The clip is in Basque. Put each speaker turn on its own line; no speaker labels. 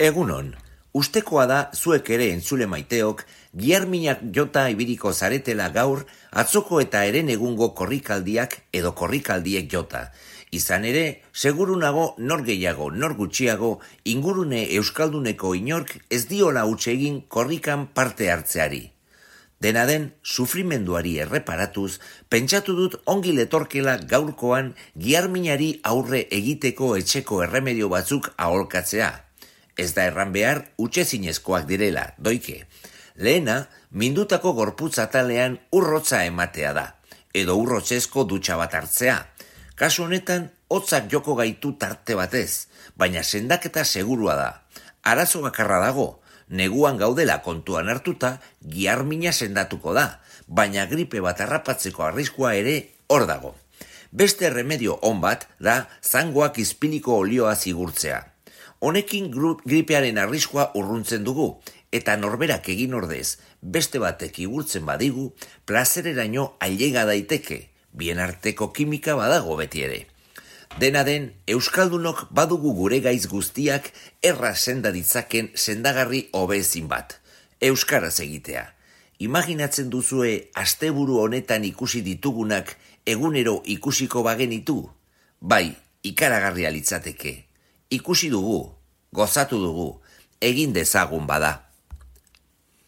Egunon, ustekoa da zuek ere entzule maiteok, giharminak jota ibiriko zaretela gaur, atzoko eta eren egungo korrikaldiak edo korrikaldiek jota. Izan ere, seguru nago nor gehiago, nor gutxiago, ingurune euskalduneko inork ez diola huts egin korrikan parte hartzeari. Dena den, sufrimenduari erreparatuz, pentsatu dut ongi letorkela gaurkoan giharminari aurre egiteko etxeko erremedio batzuk aholkatzea. Ez da erran behar utxezinezkoak direla, doike. Lehena, mindutako gorputz atalean urrotza ematea da, edo urrotzezko dutxa bat hartzea. Kasu honetan, hotzak joko gaitu tarte batez, baina sendaketa segurua da. Arazo bakarra dago, neguan gaudela kontuan hartuta, giharmina sendatuko da, baina gripe bat harrapatzeko arriskua ere hor dago. Beste remedio on bat da zangoak izpiliko olioa zigurtzea. Honekin gripearen arriskua urruntzen dugu, eta norberak egin ordez, beste batek igurtzen badigu, plazereraino ailega daiteke, bien arteko kimika badago beti ere. Dena den, euskaldunok badugu gure gaiz guztiak erraz senda ditzaken sendagarri hobezin bat. Euskaraz egitea. Imaginatzen duzue asteburu honetan ikusi ditugunak egunero ikusiko bagenitu? Bai, ikaragarria litzateke. Ikusi dugu, gozatu dugu, egin dezagun bada.